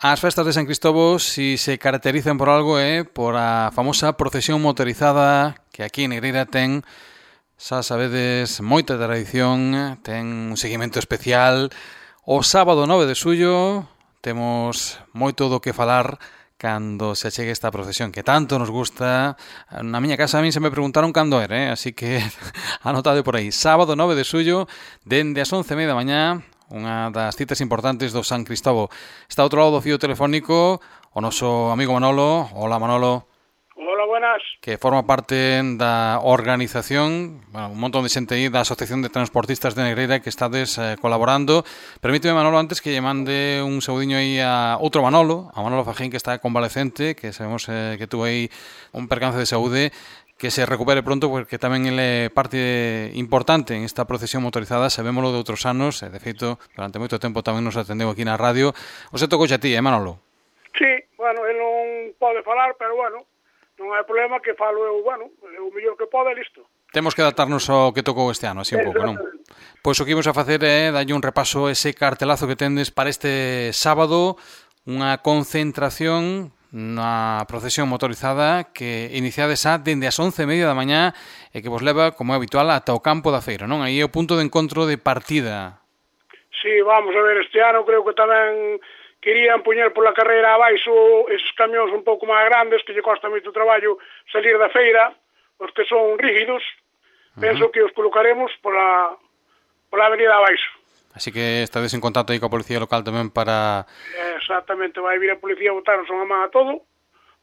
As festas de San Cristóbal, si se caracterizan por algo, por a famosa procesión motorizada que aquí en Negreira ten, xa sabedes, moita tradición, ten un seguimento especial. O sábado 9 de xullo temos moito do que falar cando se achegue esta procesión que tanto nos gusta. Na miña casa a mí se me preguntaron cando era, así que anotade por aí. Sábado 9 de xullo, dende as 11:30 da mañá, unha das citas importantes do San Cristóbal. Está ao outro lado do fío telefónico o noso amigo Manolo. Hola, Manolo. Hola, buenas. Que forma parte da organización, un montón de xente aí da Asociación de Transportistas de Negreira que estades colaborando. Permíteme, Manolo, antes que lle mande un saudiño aí a outro Manolo, a Manolo Fajín, que está convalecente, que sabemos que tuvo aí un percance de saúde, que se recupere pronto, porque tamén ele é parte importante en esta procesión motorizada. Sabémolo de outros anos, de feito, durante moito tempo tamén nos atendeu aquí na radio. O se tocou a ti, Manolo? Sí, bueno, ele non pode falar, pero bueno, non hai problema, que falo eu, bueno, o mellor que pode, listo. Temos que adaptarnos ao que tocou este ano, así un pouco, non? Pois o que imos a facer é dalle un repaso a ese cartelazo que tendes para este sábado, unha concentración na procesión motorizada que iniciades xa dende as 11:30 da mañá e que vos leva, como é habitual, ata o campo da feira, non? Aí é o punto de encontro de partida. Sí, vamos a ver, este ano creo que tamén querían poñer pola carreira abaixo esos camións un pouco máis grandes que lle costa moito traballo salir da feira, os que son rígidos. Penso que os colocaremos pola avenida abaixo. Así que estades en contacto aí coa policía local tamén para... Exactamente, vai vir a policía a botarnos unha man a todo.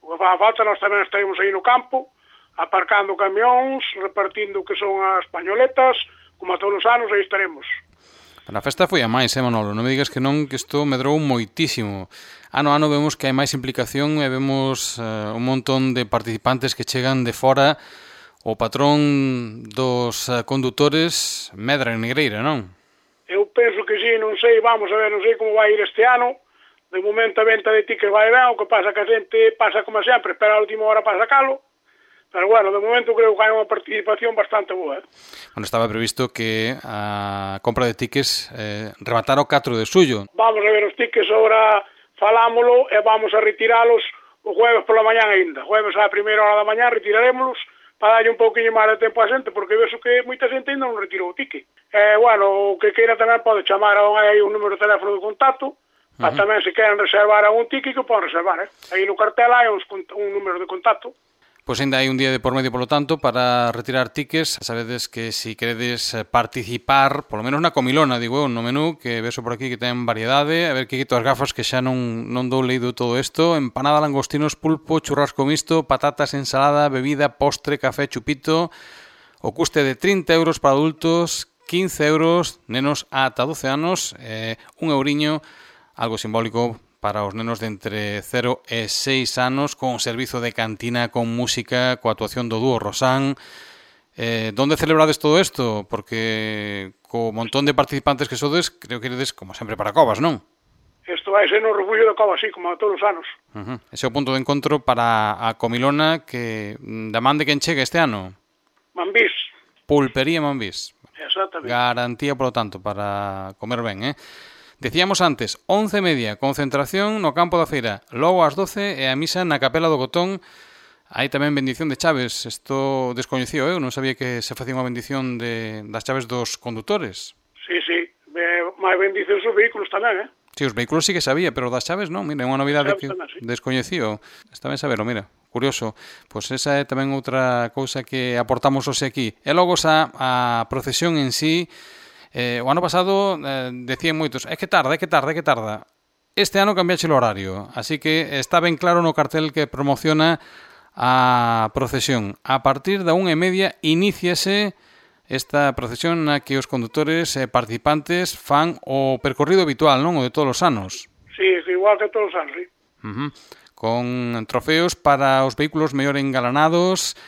O que fa falta, nós tamén estaremos aí no campo, aparcando camións, repartindo o que son as pañoletas, como a todos os anos, aí estaremos. A festa foi a máis, Manolo? Non me digas que non, que isto medrou moitísimo. Ano a ano vemos que hai máis implicación e vemos un montón de participantes que chegan de fora. O patrón dos condutores medra en Negreira, non? Eu penso que sí, non sei, vamos a ver, non sei como vai ir este ano. De momento a venta de tickets vai ben, o que pasa que a xente pasa como sempre, espera a última hora para sacalo. Pero bueno, de momento creo que hai unha participación bastante boa. Bueno, estaba previsto que a compra de tickets rematara o 4 de xullo. Vamos a ver os tickets, agora falámolo e vamos a retiralos o jueves pola mañán aínda. Jueves á primeira hora da mañán retirarémolos para darlle un pouquinho máis de tempo a xente, porque vexo que moita xente ainda non retirou o ticket. Bueno, o que queira tamén pode chamar aí un número de teléfono de contacto, para tamén se queren reservar algún ticket que poden reservar. Aí no cartel hai un número de contacto. Pois ainda hai un día de por medio, polo tanto, para retirar tickets. Sabedes que si queredes participar, polo menos na comilona, digo eu, no menú, que vexo por aquí que ten variedade, a ver que quito as gafas que xa non dou leído todo isto, empanada, langostinos, pulpo, churrasco misto, patatas, ensalada, bebida, postre, café, chupito, o custe de 30 euros para adultos, 15 euros, nenos ata 12 anos, un euriño, algo simbólico para os nenos de entre 0 e 6 anos, con servizo de cantina, con música, coa actuación do dúo Rosán. Donde celebrades todo isto? Porque co montón de participantes que sodes, creo que eredes, como sempre, para Covas, non? Isto vai ser no refugio de Covas, así como a todos os anos. Ese é o punto de encontro para a comilona que da man de quen chega este ano? Mambís. Pulpería Mambís. Exactamente. Garantía, polo tanto, para comer ben, Decíamos antes, 11:30, concentración no campo da feira, logo ás 12 e a misa na capela do Cotón. Hai tamén bendición de chaves, isto descoñecido, eu non sabía que se facía unha bendición das chaves dos condutores. Sí, máis bendición os vehículos tamén, Sí, os vehículos sí que sabía, pero das chaves non, mira, é unha novidade que descoñecido. Está ben saberlo, mira, curioso. Pois esa é tamén outra cousa que aportamos hoxe aquí. E logo a procesión en sí. O ano pasado decían moitos, é que tarda. Este ano cambiaxe o horario, así que está ben claro no cartel que promociona a procesión. A partir da 1:30 iníciase esta procesión na que os condutores e participantes fan o percorrido habitual, non? O de todos os anos. Sí, igual que todos os anos, sí. Con trofeos para os vehículos mellor engalanados,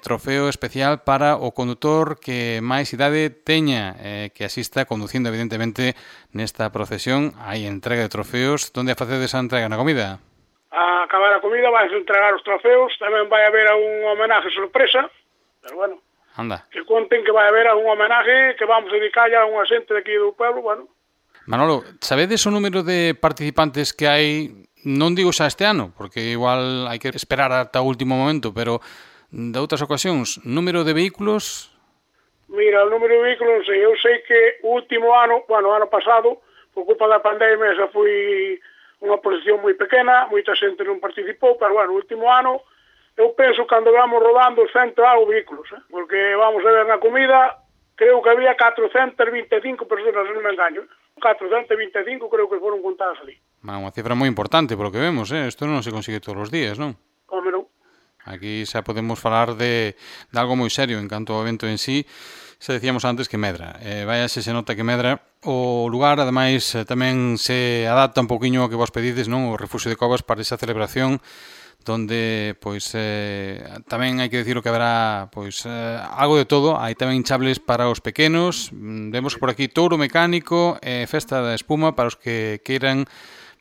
trofeo especial para o condutor que máis idade teña, que asista conducindo evidentemente nesta procesión. Hai entrega de trofeos. Onde a facedes a entrega? Na comida? A acabar a comida vais a entregar os trofeos, tamén vai haber un homenaje sorpresa, pero bueno, anda, que conten que vai haber un homenaje que vamos a dedicar a unha xente de aquí do pueblo, bueno. Manolo, sabedes o número de participantes que hai, non digo xa este ano, porque igual hai que esperar ata o último momento, pero de outras ocasións, número de vehículos? Mira, o número de vehículos, non sei, eu sei que o último ano, bueno, o ano pasado, por culpa da pandemia, esa foi unha posición moi pequena, moita xente non participou, pero bueno, o último ano, eu penso que cando vamos rodando 100 e algo vehículos, porque vamos a ver na comida, creo que había 425 personas, non me engaño, 425 creo que foron contadas ali. Unha cifra moi importante, polo que vemos, isto non se consigue todos os días, non? Como non? Aquí xa podemos falar de algo moi serio en canto ao evento en sí. Se decíamos antes que medra. Vaya se nota que medra. O lugar, ademais, tamén se adapta un poquinho ao que vos pedides, non? O Refuxio de Covas para esa celebración donde, pois, tamén hai que dicir que haberá, pois, algo de todo. Hai tamén hinchables para os pequenos. Vemos por aquí touro mecánico, festa da espuma para os que queiran,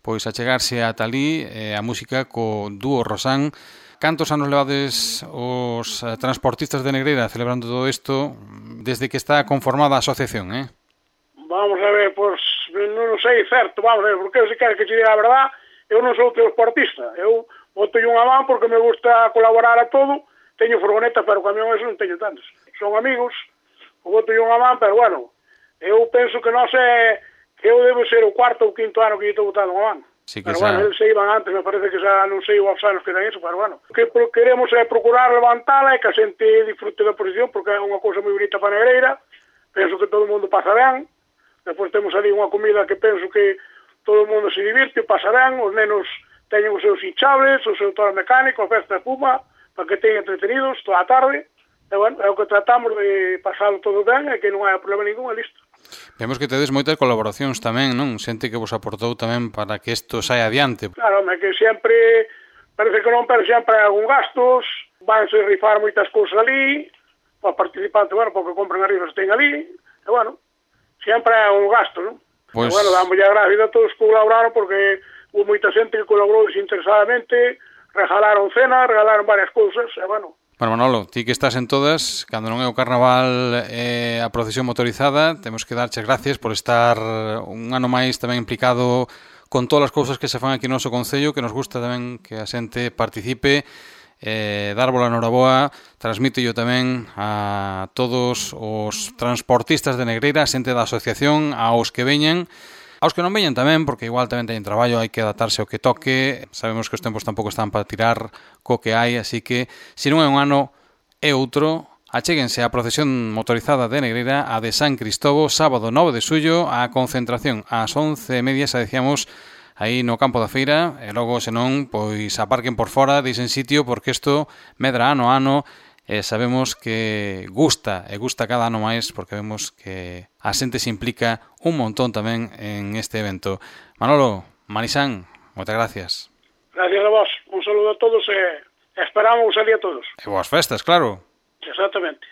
pois, achegarse ata ali, a música co dúo Rosán. Cantos anos levades os transportistas de Negreira celebrando todo isto desde que está conformada a asociación, Vamos a ver, pois, non sei certo, vamos a ver, porque se quer que te diga a verdad, eu non sou transportista, eu boto unha man porque me gusta colaborar a todo, teño furgoneta, pero camión eso non teño tantos. Son amigos, boto unha man, pero bueno, eu penso que non sei, que eu debo ser o cuarto ou quinto ano que eu estou botando unha man. Sí que pero bueno, eles se iban antes, me parece que xa non sei os anos que dan eso, pero bueno. O que queremos é procurar levantala e que a xente disfrute da posición, porque é unha cousa moi bonita para Negreira, penso que todo o mundo pasa ben, depois temos ali unha comida que penso que todo o mundo se divirte, pasa ben, os nenos teñen os seus hinchables, o seu toro mecánico, a festa de puma, para que teñen entretenidos toda a tarde, e bueno, é o que tratamos de pasalo todo ben e que non hai problema ningún, e listo. Vemos que tedes moitas colaboracións tamén, non? Xente que vos aportou tamén para que isto saia adiante. Claro, é que sempre, parece que non, pero sempre hai algún gastos, vanse rifar moitas cousas ali, para participante, bueno, porque compren as rifas que ten ali, e bueno, sempre hai algún gasto, non? Pues... E bueno, damos ya gracias a todos que colaboraron, porque hubo moita xente que colaborou desinteresadamente, regalaron cena, regalaron varias cousas, e bueno. Bueno, Manolo, ti que estás en todas, cando non é o carnaval a procesión motorizada, temos que darche gracias por estar un ano máis tamén implicado con todas as cousas que se fan aquí no noso concello, que nos gusta tamén que a xente participe, darvos a noraboa, transmito yo tamén a todos os transportistas de Negreira, a xente da asociación, aos que veñan, aos que non veñan tamén, porque igual tamén teñen traballo, hai que adaptarse ao que toque, sabemos que os tempos tampouco están para tirar co que hai, así que, se non é un ano, é outro, achéguense á procesión motorizada de Negreira, a de San Cristobo, sábado 9 de xullo, a concentración ás 11:30, xa decíamos, aí no campo da feira, e logo, senón, pois aparquen por fora, deixen sitio, porque isto medra ano a ano, sabemos que gusta cada ano máis, porque vemos que a xente se implica un montón tamén en este evento. Manolo, Marisán, moitas gracias. Gracias a vos, un saludo a todos e esperamos salir a todos. E boas festas, claro. Exactamente.